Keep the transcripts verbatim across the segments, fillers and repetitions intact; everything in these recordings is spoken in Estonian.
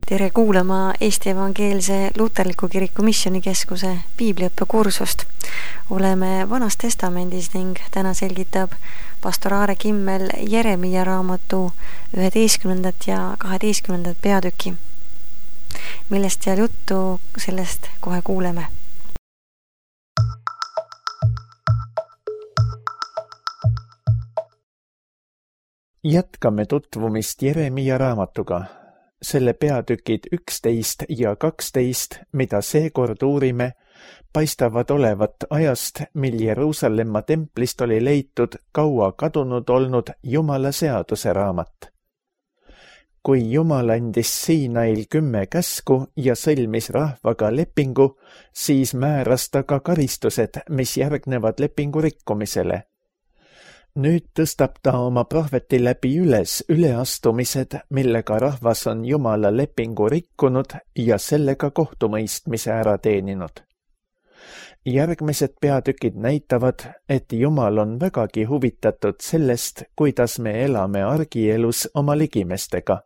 Tere kuulama Eesti Evangeelse Luterliku Kiriku Missioonikeskuse piibliõppekursust. Oleme Vanas Testamendis ning täna selgitab pastor Aare Kimmel Jeremia raamatu üheteistkümnendat ja kaheteistkümnendat peatüki. Millest seal juttu, sellest kohe kuuleme. Jätkame tutvumist Jeremia raamatuga. Selle peatükid üksteist ja kaksteist, mida seekord uurime, paistavad olevat ajast, mil Jeruusalemma templist oli leitud kaua kadunud olnud Jumala seaduse raamat. Kui Jumal andis Siinail kümme käsku ja sõlmis rahvaga lepingu, siis määras ta ka karistused, mis järgnevad lepingu rikkumisele. Nüüd tõstab ta oma prohveti läbi üles üleastumised, millega rahvas on Jumala lepingu rikkunud ja sellega kohtumõistmise ära teeninud. Järgmised peatükid näitavad, et Jumal on vägagi huvitatud sellest, kuidas me elame argielus oma ligimestega.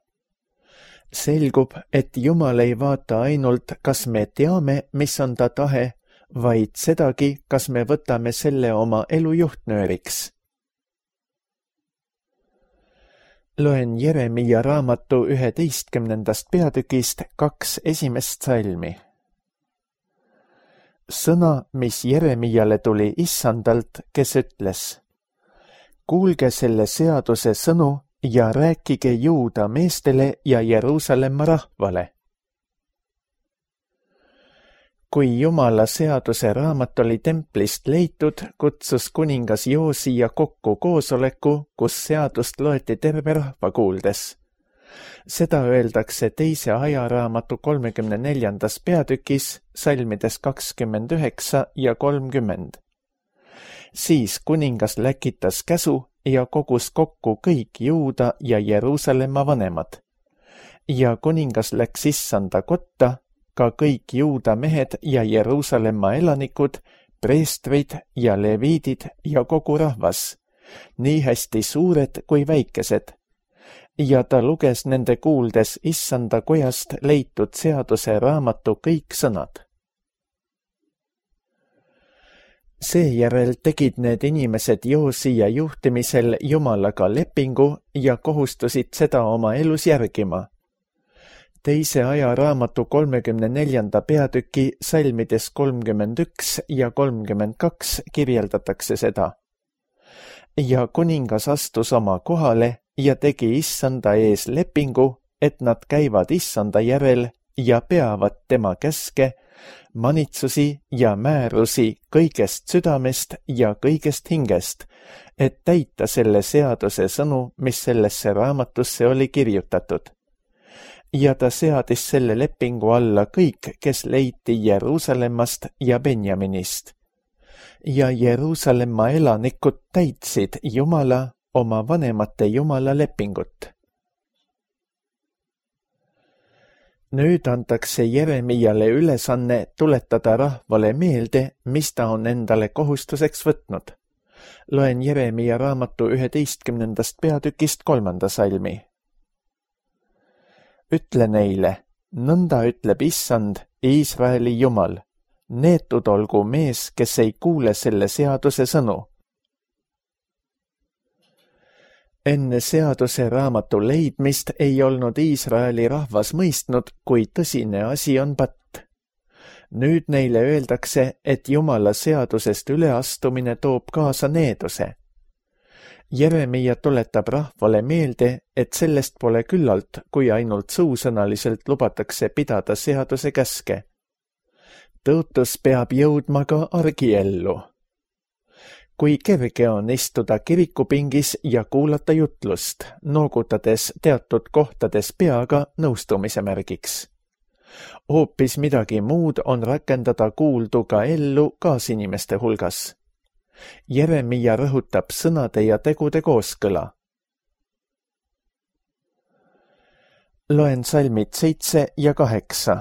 Selgub, et Jumal ei vaata ainult, kas me teame, mis on ta tahe, vaid sedagi, kas me võtame selle oma elu juhtnööriks. Loen Jeremia raamatu üheteistkümnendast peatükist kaks esimest salmi. Sõna, mis Jeremiale tuli Issandalt, kes ütles: Kuulge selle seaduse sõnu ja rääkige Juuda meestele ja Jeruusalemma rahvale. Kui Jumala seaduse raamat oli templist leitud, kutsus kuningas Joosia kokku koosoleku, kus seadust loeti terve rahva kuuldes. Seda öeldakse teise ajaraamatu kolmekümne neljandas peatükis, salmides kakskümmend üheksa ja kolmkümmend. Siis kuningas läkitas käsu ja kogus kokku kõik Juuda ja Jeruusalemma vanemad. Ja kuningas läks Issanda kotta, ka kõik Juuda mehed ja Jeruusalemma elanikud, preestrid ja leviidid ja kogu rahvas, nii hästi suured kui väikesed. Ja ta luges nende kuuldes Issanda kojast leitud seaduse raamatu kõik sõnad. Seejärel tegid need inimesed Joosia juhtimisel Jumalaga lepingu ja kohustusid seda oma elus järgima. Teise aja raamatu kolmekümne neljanda peatüki salmides kolmkümmend üks ja kolmkümmend kaks kirjeldatakse seda. Ja kuningas astus oma kohale ja tegi Issanda ees lepingu, et nad käivad Issanda järel ja peavad tema käske, manitsusi ja määrusi kõigest südamest ja kõigest hingest, et täita selle seaduse sõnu, mis sellesse raamatusse oli kirjutatud. Ja ta seadis selle lepingu alla kõik, kes leiti Jeruusalemmast ja Benjaminist. Ja Jeruusalemma elanikud täitsid Jumala, oma vanemate Jumala lepingut. Nüüd antakse Jeremiale ülesanne tuletada rahvale meelde, mis ta on endale kohustuseks võtnud. Loen Jeremia raamatu üheteistkümnendast peatükist kolmanda salmi. Ütle neile, nõnda ütleb Issand, Iisraeli Jumal, neetud olgu mees, kes ei kuule selle seaduse sõnu. Enne seaduse raamatu leidmist ei olnud Iisraeli rahvas mõistnud, kui tõsine asi on patt. Nüüd neile öeldakse, et Jumala seadusest üleastumine toob kaasa needuse. Jeremia tuletab rahvale meelde, et sellest pole küllalt, kui ainult suusõnaliselt lubatakse pidada seaduse käske. Tõotus peab jõudma ka argiellu. Kui kerge on istuda kirikupingis ja kuulata jutlust, noogutades teatud kohtades peaga nõustumise märgiks. Hoopis midagi muud on rakendada kuuldu ka ellu kaasinimeste hulgas. Jeremia rõhutab sõnade ja tegude kooskõla. Loen salmid seitse ja kaheksa.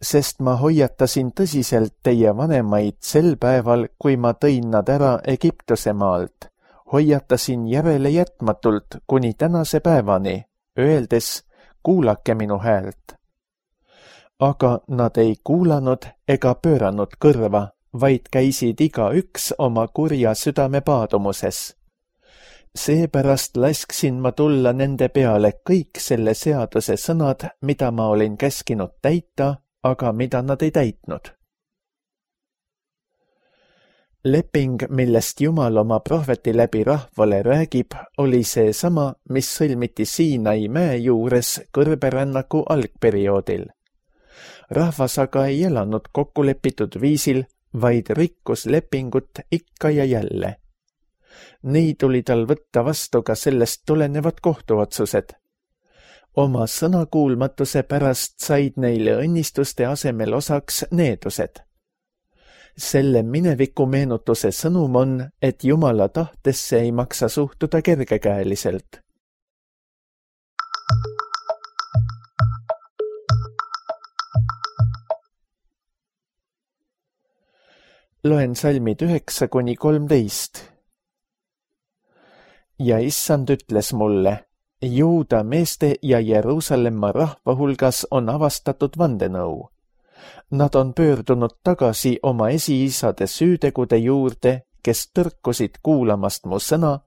Sest ma hoiatasin tõsiselt teie vanemaid sel päeval, kui ma tõin nad ära Egiptuse maalt. Hoiatasin järele jätmatult kuni tänase päevani, öeldes, kuulake minu häält. Aga nad ei kuulanud ega pööranud kõrva, vaid käisid igaüks oma kurja südame paadumuses. Seepärast lasksin ma tulla nende peale kõik selle seaduse sõnad, mida ma olin käskinud täita, aga mida nad ei täitnud. Leping, millest Jumal oma prohveti läbi rahvale räägib, oli see sama, mis sõlmiti Siinai mäe juures kõrberännaku algperioodil. Rahvas aga ei elanud kokkulepitud viisil, vaid rikkus lepingut ikka ja jälle. Nii tuli tal võtta vastu ka sellest tulenevad kohtuotsused. Oma sõnakuulmatuse pärast said neile õnnistuste asemel osaks needused. Selle mineviku meenutuse sõnum on, et Jumala tahtesse ei maksa suhtuda kergekäeliselt. Loen salmid üheksa kuni kolmteist. Ja issand ütles mulle, Juuda meeste ja Jeruusalemma rahva hulgas on avastatud vandenõu. Nad on pöördunud tagasi oma esiisade süütegude juurde, kes tõrkusid kuulamast mu sõna,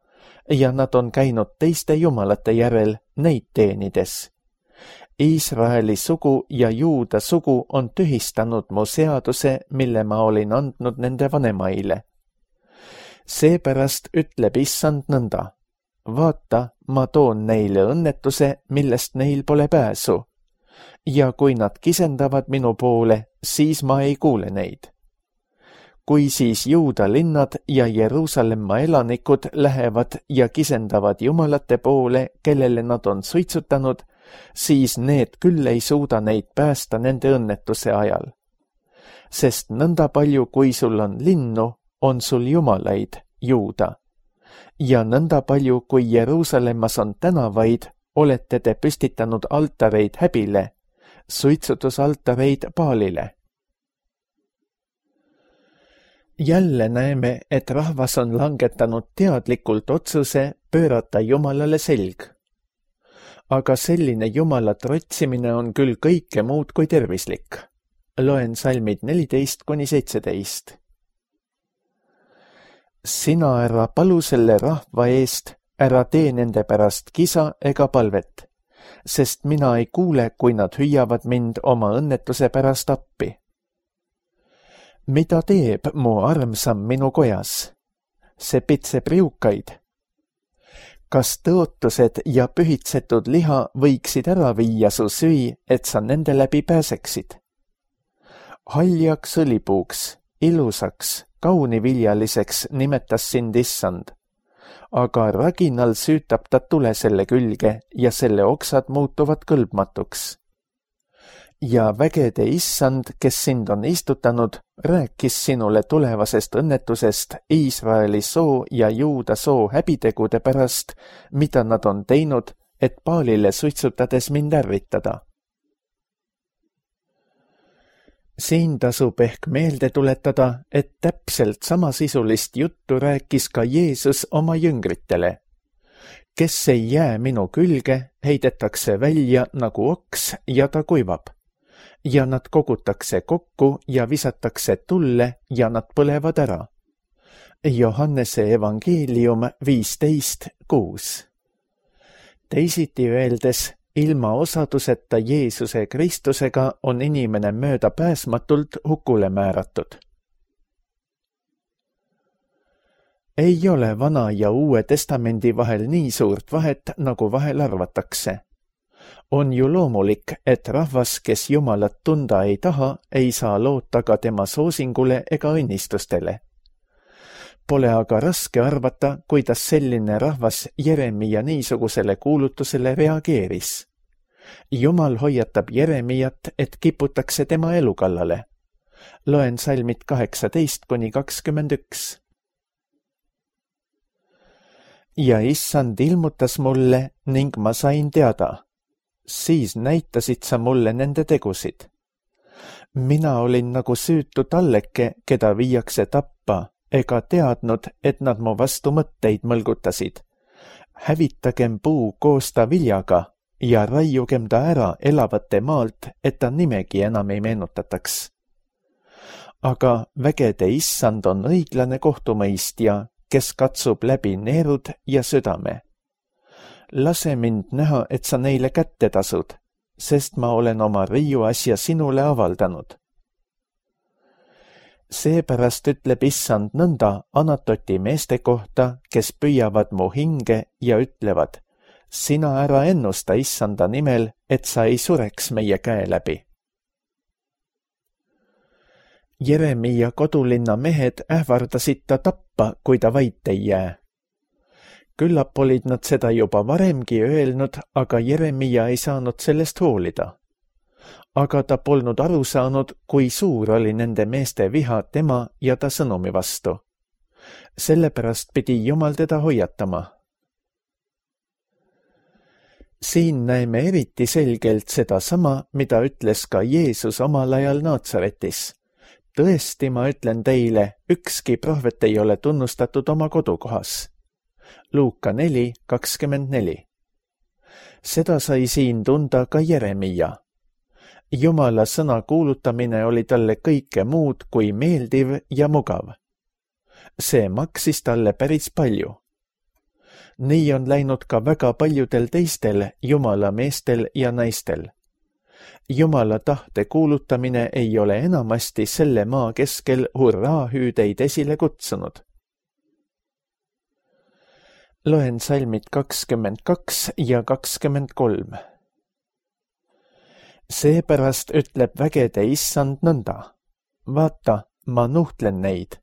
ja nad on käinud teiste jumalate järel neid teenides. Iisraeli sugu ja Juuda sugu on tühistanud mu seaduse, mille ma olin andnud nende vanemaile. Seepärast ütleb issand nõnda. Vaata, ma toon neile õnnetuse, millest neil pole pääsu. Ja kui nad kisendavad minu poole, siis ma ei kuule neid. Kui siis Juuda linnad ja Jeruusalemma elanikud lähevad ja kisendavad jumalate poole, kellele nad on suitsutanud, siis need küll ei suuda neid päästa nende õnnetuse ajal. Sest nõnda palju, kui sul on linnu, on sul jumalaid, Juuda. Ja nõnda palju, kui Jeruusalemmas on tänavaid, olete te püstitanud altareid häbile, suitsutusaltareid Baalile. Jälle näeme, et rahvas on langetanud teadlikult otsuse pöörata Jumalale selg. Aga selline Jumala trotsimine on küll kõike muud kui tervislik. Loen salmid neliteist kuni seitseteist. Sina ära palu selle rahva eest, ära tee nende pärast kisa ega palvet, sest mina ei kuule, kui nad hüüavad mind oma õnnetuse pärast appi. Mida teeb mu armsam minu kojas? See pitseb riukaid. Kas tõotused ja pühitsetud liha võiksid ära viia su süü, et sa nende läbi pääseksid? Haljaks õlipuuks, ilusaks, kauniviljaliseks nimetas sind issand, aga raginal süütab ta tule selle külge ja selle oksad muutuvad kõlbmatuks. Ja vägede issand, kes sind on istutanud, rääkis sinule tulevasest õnnetusest Iisraeli soo ja Juuda soo häbitegude pärast, mida nad on teinud, et Baalile suitsutades mind ärritada. Siin tasub ehk meelde tuletada, et täpselt samasisulist juttu rääkis ka Jeesus oma jüngritele. Kes ei jää minu külge, heidetakse välja nagu oks ja ta kuivab. Ja nad kogutakse kokku ja visatakse tulle ja nad põlevad ära. Johannese evangeelium viisteist kuus. Teisiti öeldes, ilma osaduseta Jeesuse Kristusega on inimene mööda pääsmatult hukule määratud. Ei ole Vana ja Uue Testamendi vahel nii suurt vahet, nagu vahel arvatakse. On ju loomulik, et rahvas, kes Jumalat tunda ei taha, ei saa loota ka tema soosingule ega õnnistustele. Pole aga raske arvata, kuidas selline rahvas Jeremia niisugusele kuulutusele reageeris. Jumal hoiatab Jeremiat, et kiputakse tema elu kallale. Loen salmid kaheksateist kuni kakskümmend üks. Ja issand ilmutas mulle ning ma sain teada. Siis näitasid sa mulle nende tegusid. Mina olin nagu süütu talleke, keda viiakse tappa, ega teadnud, et nad mu vastu mõtteid mõlgutasid. Hävitagem puu koos ta viljaga, ja raiugem ta ära elavate maalt, et ta nimegi enam ei meenutataks. Aga vägede issand on õiglane kohtumõistja, kes katsub läbi neerud ja südame. Lase mind näha, et sa neile kätte tasud, sest ma olen oma riiu asja sinule avaldanud. Seepärast ütleb issand nõnda Anatoti meeste kohta, kes püüavad mu hinge ja ütlevad, sina ära ennusta issanda nimel, et sa ei sureks meie käe läbi. Jeremia kodulinna mehed ähvardasid ta tappa, kui ta vait ei jää. Küllap olid nad seda juba varemgi öelnud, aga Jeremia ei saanud sellest hoolida. Aga ta polnud aru saanud, kui suur oli nende meeste viha tema ja ta sõnumi vastu. Sellepärast pidi Jumal teda hoiatama. Siin näeme eriti selgelt seda sama, mida ütles ka Jeesus omal ajal Naatsaretis. Tõesti, ma ütlen teile, ükski prohvet ei ole tunnustatud oma kodukohas. Luuka neli kakskümmend neli. Seda sai siin tunda ka Jeremia. Jumala sõna kuulutamine oli talle kõike muud kui meeldiv ja mugav. See maksis talle päris palju. Nii on läinud ka väga paljudel teistel Jumala meestel ja naistel. Jumala tahte kuulutamine ei ole enamasti selle maa keskel hurraahüüdeid esile kutsunud. Loen salmid kakskümmend kaks ja kakskümmend kolm. Seepärast ütleb vägede issand nõnda. Vaata, ma nuhtlen neid.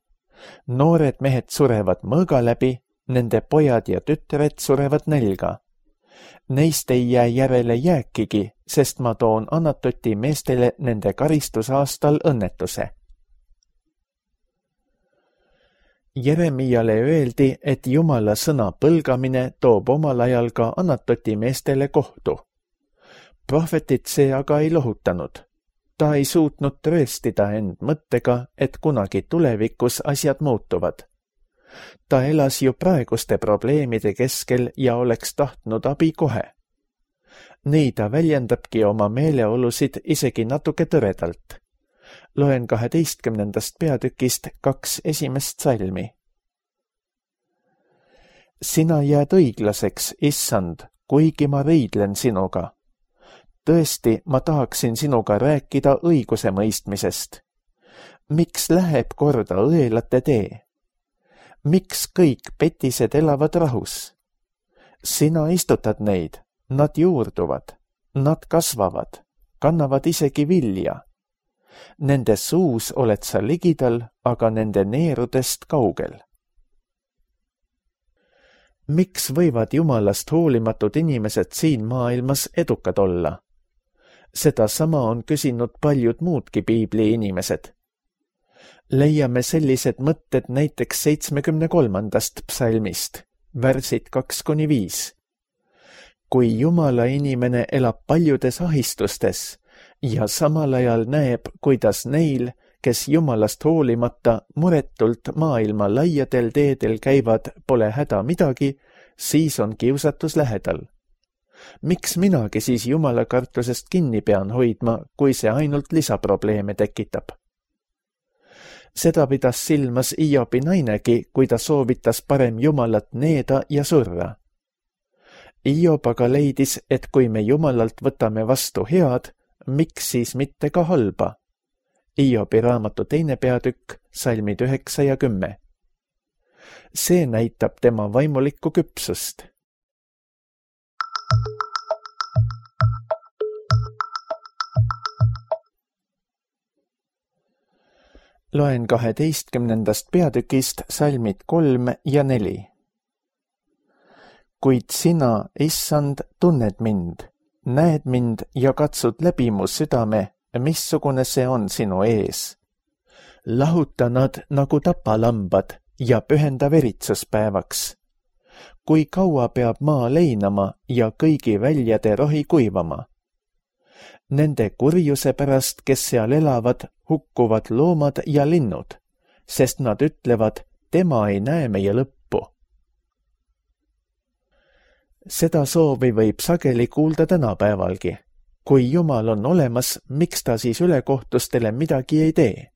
Noored mehed surevad mõõga läbi, nende pojad ja tütred surevad nälga. Neist ei jää järele jääkigi, sest ma toon Anatoti meestele nende karistusaastal õnnetuse. Jeremiale öeldi, et Jumala sõna põlgamine toob omal ajal ka Anatoti meestele kohtu. Prohvetit see aga ei lohutanud. Ta ei suutnud trööstida end mõttega, et kunagi tulevikus asjad muutuvad. Ta elas ju praeguste probleemide keskel ja oleks tahtnud abi kohe. Nii ta väljendabki oma meeleolusid isegi natuke tõredalt. Loen kaheteistkümnendast peatükist kaks esimest salmi. Sina jääd õiglaseks, issand, kuigi ma riidlen sinuga. Tõesti, ma tahaksin sinuga rääkida õiguse mõistmisest. Miks läheb korda õelate tee? Miks kõik petised elavad rahus? Sina istutad neid, nad juurduvad, nad kasvavad, kannavad isegi vilja. Nende suus oled sa ligidal, aga nende neerudest kaugel. Miks võivad Jumalast hoolimatud inimesed siin maailmas edukad olla? Seda sama on küsinud paljud muudki piibli inimesed. Leiame sellised mõtted näiteks seitsmekümne kolmandast psalmist, värsid kaks kuni viis. Kui Jumala inimene elab paljudes ahistustes ja samal ajal näeb, kuidas neil, kes Jumalast hoolimata muretult maailma laiadel teedel käivad, pole häda midagi, siis on kiusatus lähedal. Miks minagi siis Jumala kartusest kinni pean hoidma, kui see ainult lisaprobleeme tekitab? Seda pidas silmas Iobi nainegi, kui ta soovitas parem Jumalat needa ja surra. Iob aga leidis, et kui me Jumalalt võtame vastu head, miks siis mitte ka halba? Iobi raamatu teine peatükk, salmid üheksa ja kümme. See näitab tema vaimulikku küpsust. Loen kaheteistkümnendast peatükist salmid kolm ja neli. Kuid sina, issand, tunned mind, näed mind ja katsud läbi mu südame, missugune see on sinu ees. Lahuta nad nagu tapalambad ja pühenda veritsuspäevaks. Kui kaua peab maa leinama ja kõigi väljade rohi kuivama? Nende kurjuse pärast, kes seal elavad, hukkuvad loomad ja linnud, sest nad ütlevad, tema ei näe meie lõppu. Seda soovi võib sageli kuulda tänapäevalgi. Kui Jumal on olemas, miks ta siis ülekohtustele midagi ei tee?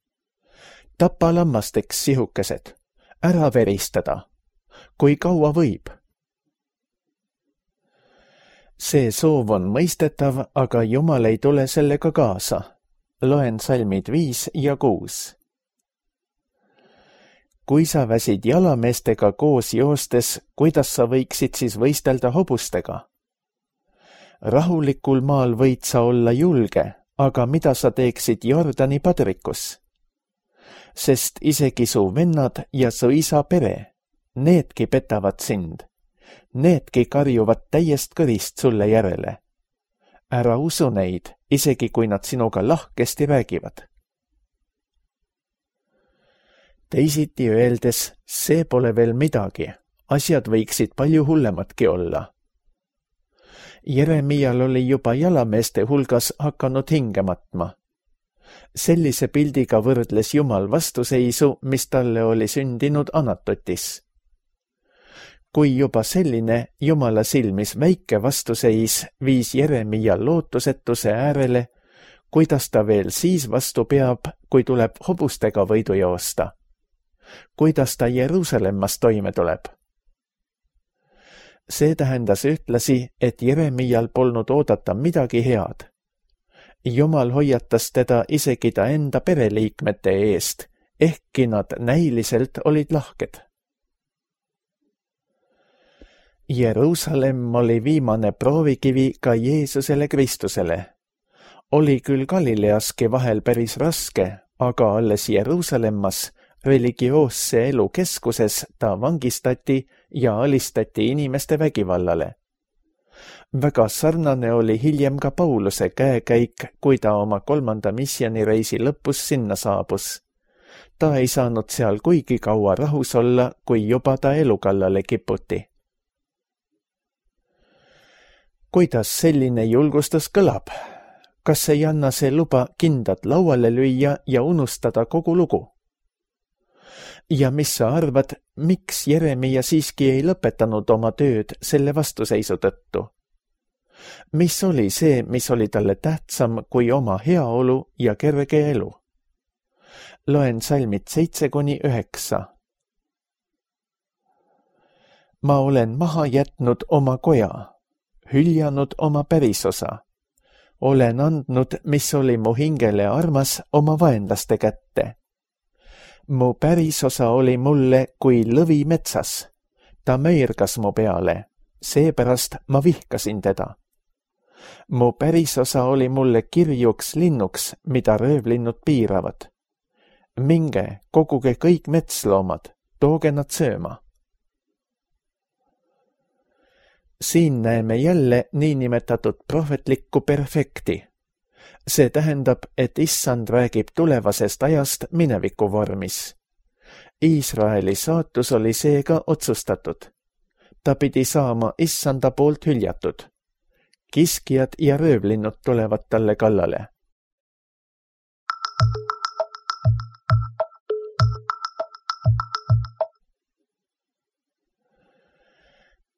Tapa lammasteks sihukesed, ära veristada. Kui kaua võib? See soov on mõistetav, aga Jumal ei tule sellega kaasa. Loen salmid viis ja kuus. Kui sa väsid jalameestega koos joostes, kuidas sa võiksid siis võistelda hobustega? Rahulikul maal võid sa olla julge, aga mida sa teeksid Jordani padrikus? Sest isegi su vennad ja su isa pere, needki petavad sind. Needki karjuvad täiest kõrist sulle järele. Ära usu neid, isegi kui nad sinuga lahkesti räägivad. Teisiti öeldes, see pole veel midagi. Asjad võiksid palju hullematki olla. Jeremial oli juba jalameeste hulgas hakanud hinge matma. Sellise pildiga võrdles Jumal vastuseisu, mis talle oli sündinud Anatotis. Kui juba selline Jumala silmis väike vastuseis viis Jeremia lootusetuse äärele, kuidas ta veel siis vastu peab, kui tuleb hobustega võidu joosta? Kuidas ta Jeruusalemmas toime tuleb? See tähendas ühtlasi, et Jeremial polnud oodata midagi head. Jumal hoiatas teda isegi ta enda pereliikmete eest, ehkki nad näiliselt olid lahked. Jeruusalemm oli viimane proovikivi ka Jeesusele Kristusele. Oli küll Galileaski vahel päris raske, aga alles Jeruusalemmas religioosse elu keskuses ta vangistati ja alistati inimeste vägivallale. Väga sarnane oli hiljem ka Pauluse käekäik, kui ta oma kolmanda missioonireisi lõpus sinna saabus. Ta ei saanud seal kuigi kaua rahus olla, kui juba ta elu kallale kiputi. Kuidas selline julgustus kõlab? Kas ei anna see luba kindad lauale lüüa ja unustada kogu lugu? Ja mis sa arvad, miks Jeremia siiski ei lõpetanud oma tööd selle vastuseisu tõttu? Mis oli see, mis oli talle tähtsam kui oma heaolu ja kerge elu? Loen salmid seitse kuni üheksa. Ma olen maha jätnud oma koja, hüljanud oma pärisosa. Olen andnud, mis oli mu hingele armas, oma vaenlaste kätte. Mu pärisosa oli mulle kui lõvi metsas. Ta möirgas mu peale, seepärast ma vihkasin teda. Mu pärisosa oli mulle kirjuks linnuks, mida röövlinnud piiravad. Minge, koguge kõik metsloomad, tooge nad sööma. Siin näeme jälle niinimetatud prohvetlikku perfekti. See tähendab, et Issand räägib tulevasest ajast mineviku vormis. Iisraeli saatus oli seega otsustatud. Ta pidi saama Issanda poolt hüljatud. Kiskjad ja röövlinnud tulevad talle kallale.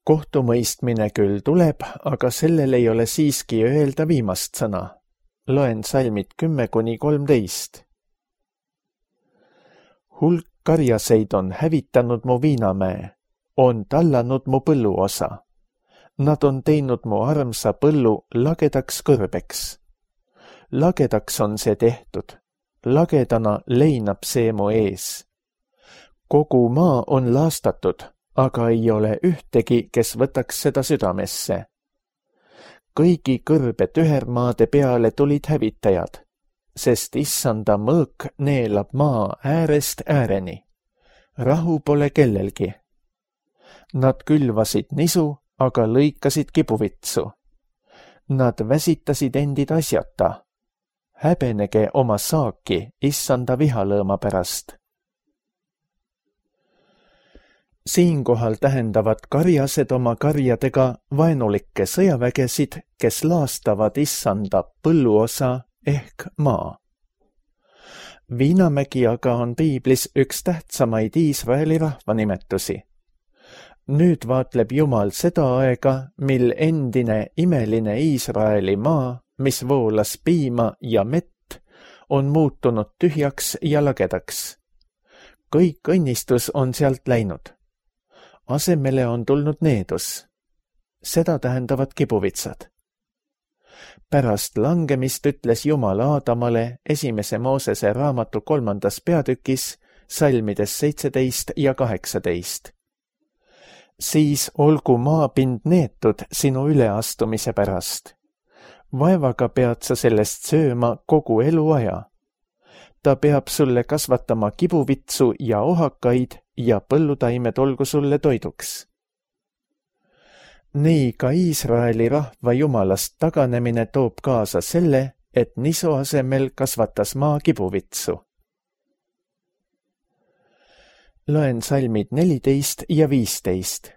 Kohtumõistmine küll tuleb, aga sellel ei ole siiski öelda viimast sõna. Loen salmid kümme kuni kolmteist. Hulk karjaseid on hävitanud mu viinamäe, on tallanud mu põlluosa. Nad on teinud mu armsa põllu lagedaks kõrbeks. Lagedaks on see tehtud, lagedana leinab see mu ees. Kogu maa on laastatud, aga ei ole ühtegi, kes võtaks seda südamesse. Kõigi kõrbe tühermaade peale tulid hävitajad, sest Issanda mõõk neelab maa äärest ääreni. Rahu pole kellelgi. Nad külvasid nisu, aga lõikasid kibuvitsu. Nad väsitasid endid asjata. Häbenege oma saaki Issanda vihalõõma pärast. Siinkohal tähendavad karjased oma karjadega vaenulikke sõjavägesid, kes laastavad Issanda põlluosa ehk maa. Viinamägi aga on piiblis üks tähtsamaid Iisraeli rahvanimetusi. Nüüd vaatleb Jumal seda aega, mil endine imeline Iisraeli maa, mis voolas piima ja mett, on muutunud tühjaks ja lagedaks. Kõik õnnistus on sealt läinud. Asemele on tulnud needus. Seda tähendavad kibuvitsad. Pärast langemist ütles Jumal Aadamale esimese Moosese raamatu kolmandas peatükis, salmides seitseteist ja kaheksateist. Siis olgu maapind neetud sinu üleastumise pärast. Vaevaga pead sa sellest sööma kogu eluaja. Ta peab sulle kasvatama kibuvitsu ja ohakaid ja põllutaimed olgu sulle toiduks. Nii ka Iisraeli rahva Jumalast taganemine toob kaasa selle, et nisu asemel kasvatas maa kibuvitsu. Loen salmid neliteist ja viisteist.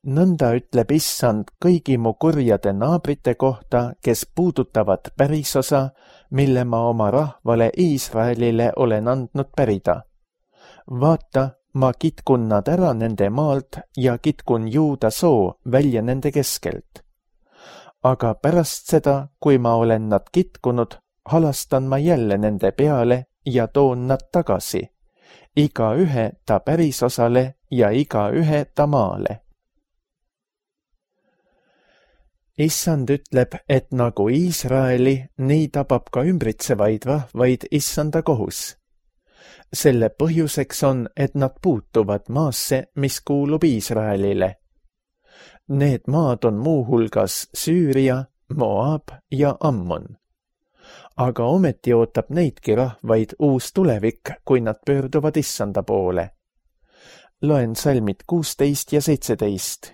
Nõnda ütleb Issand kõigi mu kurjade naabrite kohta, kes puudutavad pärisosa, mille ma oma rahvale Iisraelile olen andnud pärida. Vaata, ma kitkun nad ära nende maalt ja kitkun Juuda soo välja nende keskelt. Aga pärast seda, kui ma olen nad kitkunud, halastan ma jälle nende peale ja toon nad tagasi, iga ühe ta pärisosale ja iga ühe ta maale. Issand ütleb, et nagu Iisraeli, nii tabab ka ümbritsevaid rahvaid Issanda kohus. Selle põhjuseks on, et nad puutuvad maasse, mis kuulub Iisraelile. Need maad on muuhulgas Süüria, Moab ja Ammon. Aga ometi ootab neidki rahvaid uus tulevik, kui nad pöörduvad Issanda poole. Loen salmid kuusteist ja seitseteist.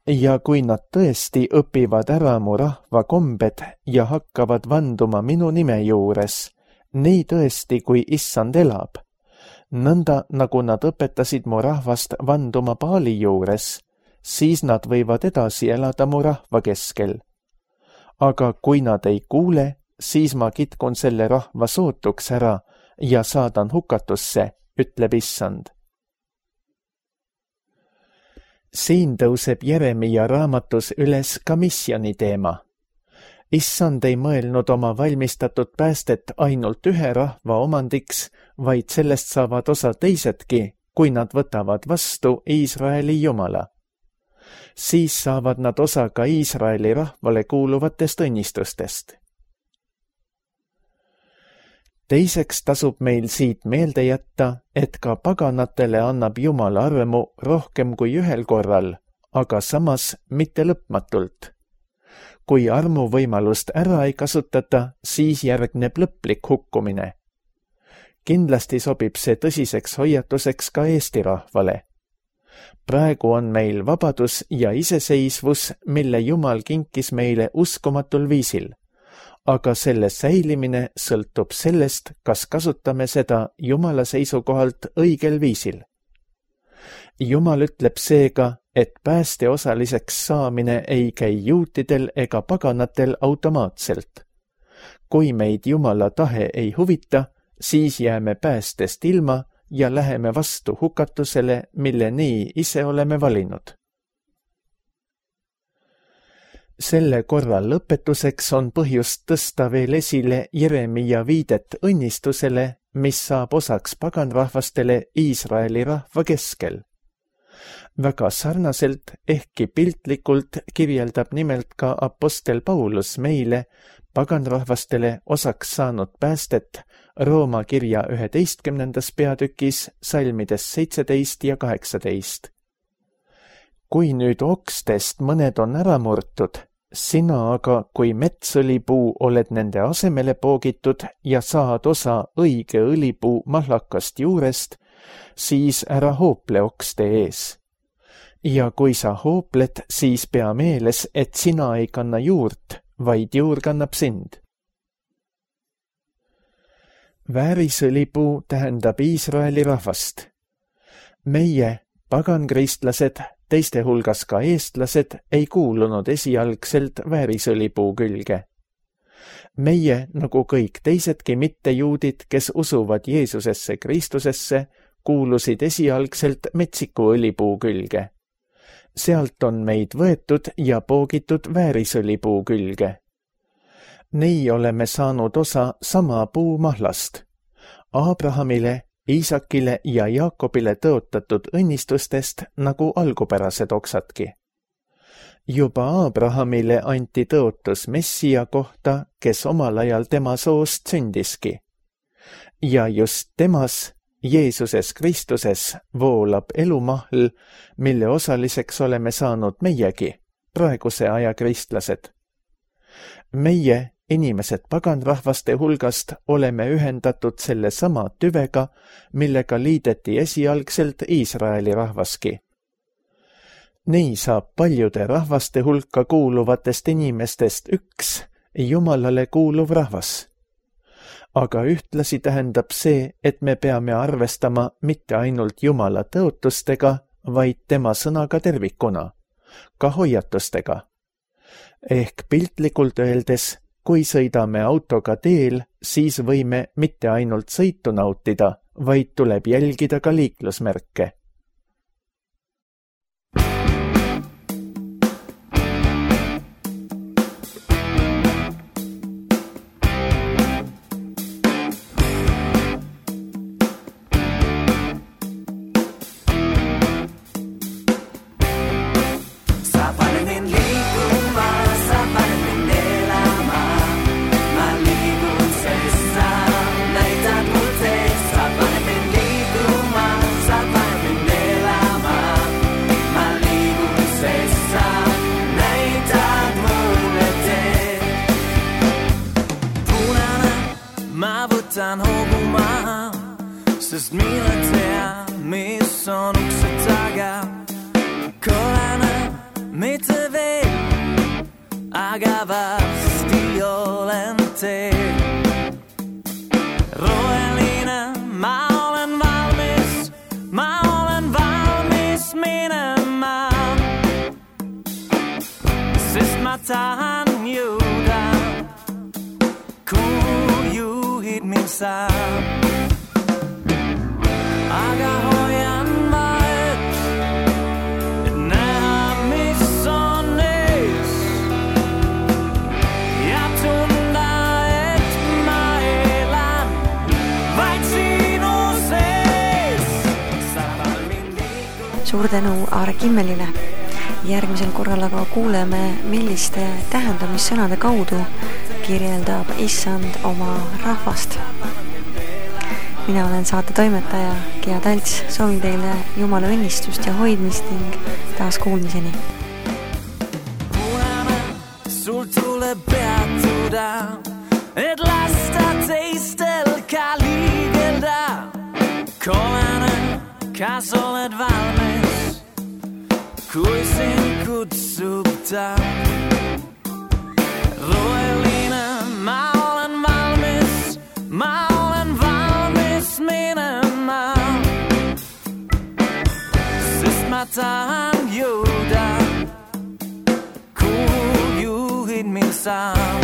Ja kui nad tõesti õpivad ära mu rahva kombed ja hakkavad vanduma minu nime juures, nii tõesti, kui Issand elab, nõnda nagu nad õpetasid mu rahvast vanduma Baali juures, siis nad võivad edasi elada mu rahva keskel. Aga kui nad ei kuule, siis ma kitkun selle rahva sootuks ära ja saadan hukatusse, ütleb Issand. Siin tõuseb Jeremia raamatus üles ka missiooni teema. Issand ei mõelnud oma valmistatud päästet ainult ühe rahva omandiks, vaid sellest saavad osa teisedki, kui nad võtavad vastu Iisraeli Jumala. Siis saavad nad osa ka Iisraeli rahvale kuuluvatest õnnistustest. Teiseks tasub meil siit meelde jätta, et ka paganatele annab Jumal armu rohkem kui ühel korral, aga samas mitte lõpmatult. Kui armu võimalust ära ei kasutata, siis järgneb lõplik hukkumine. Kindlasti sobib see tõsiseks hoiatuseks ka Eesti rahvale. Praegu on meil vabadus ja iseseisvus, mille Jumal kinkis meile uskumatul viisil. Aga selle säilimine sõltub sellest, kas kasutame seda Jumala seisukohalt õigel viisil. Jumal ütleb seega, et pääste osaliseks saamine ei käi juutidel ega paganatel automaatselt. Kui meid Jumala tahe ei huvita, siis jääme päästest ilma ja läheme vastu hukatusele, mille nii ise oleme valinud. Selle korra lõpetuseks on põhjust tõsta veel esile Jeremia viidet õnnistusele, mis saab osaks paganrahvastele Iisraeli rahva keskel. Väga sarnaselt, ehkki piltlikult kirjeldab nimelt ka apostel Paulus meile paganrahvastele osaks saanud päästet Rooma kirja üheteistkümnendas peatükis salmides seitseteist ja kaheksateist. Kui nüüd okstest mõned on ära murtud, sina aga kui metsõlipuu oled nende asemele poogitud ja saad osa õige õlipuu mahlakast juurest, siis ära hoople okste ees. Ja kui sa hoopled, siis pea meeles, et sina ei kanna juurt, vaid juur kannab sind. Väärisõlipuu tähendab Iisraeli rahvast. Meie, pagankristlased, teiste hulgas ka eestlased, ei kuulunud esialgselt väärisõlipuu külge. Meie, nagu kõik teisedki mittejuudid, kes usuvad Jeesusesse Kristusesse, kuulusid esialgselt metsiku õlipuu külge. Sealt on meid võetud ja poogitud väärisõlipuu külge. Nii oleme saanud osa sama puu mahlast. Abrahamile, Iisakile ja Jaakobile tõotatud õnnistustest nagu algupärased oksadki. Juba Abrahamile anti tõotus Messia kohta, kes omal ajal tema soost sündiski. Ja just temas, Jeesuses Kristuses, voolab elumahl, mille osaliseks oleme saanud meiegi, praeguse aja kristlased. Meie, inimesed paganrahvaste hulgast, oleme ühendatud selle sama tüvega, millega liideti esialgselt Iisraeli rahvaski. Nii saab paljude rahvaste hulka kuuluvatest inimestest üks Jumalale kuuluv rahvas. Aga ühtlasi tähendab see, et me peame arvestama mitte ainult Jumala tõotustega, vaid tema sõnaga tervikuna, ka hoiatustega. Ehk piltlikult öeldes, kui sõidame autoga teel, siis võime mitte ainult sõitu nautida, vaid tuleb jälgida ka liiklusmärke. Võtan hobuma, sest mina tean, mis on ukse taga. Kolana, mitte veel, aga varsti olen teel. Roheline, ma olen valmis, ma olen valmis minema, sest ma tahan jõuda, kuhu juhid mind saab. Aga hoian vahet, et näha, mis on ees, ja tunda, et ma elan vaid sinu sees. Suur tänu Aare Kimmelile. Järgmisel korral aga kuuleme, milliste tähendamissõnade kaudu kirjeldab Issand oma rahvast. Mina olen saate toimetaja Gea Talts, soovin teile Jumala õnnistust ja hoidmist ning taas kuulmiseni. Punane, sul tuleb peatuda, et lasta teistel ka liigelda. Kollane, kas oled valmis, kui sind kutsub ta? Roheline, ma olen valmis, ma olen valmis minema, sest ma tahan jõuda, kuhu juhid mind saab.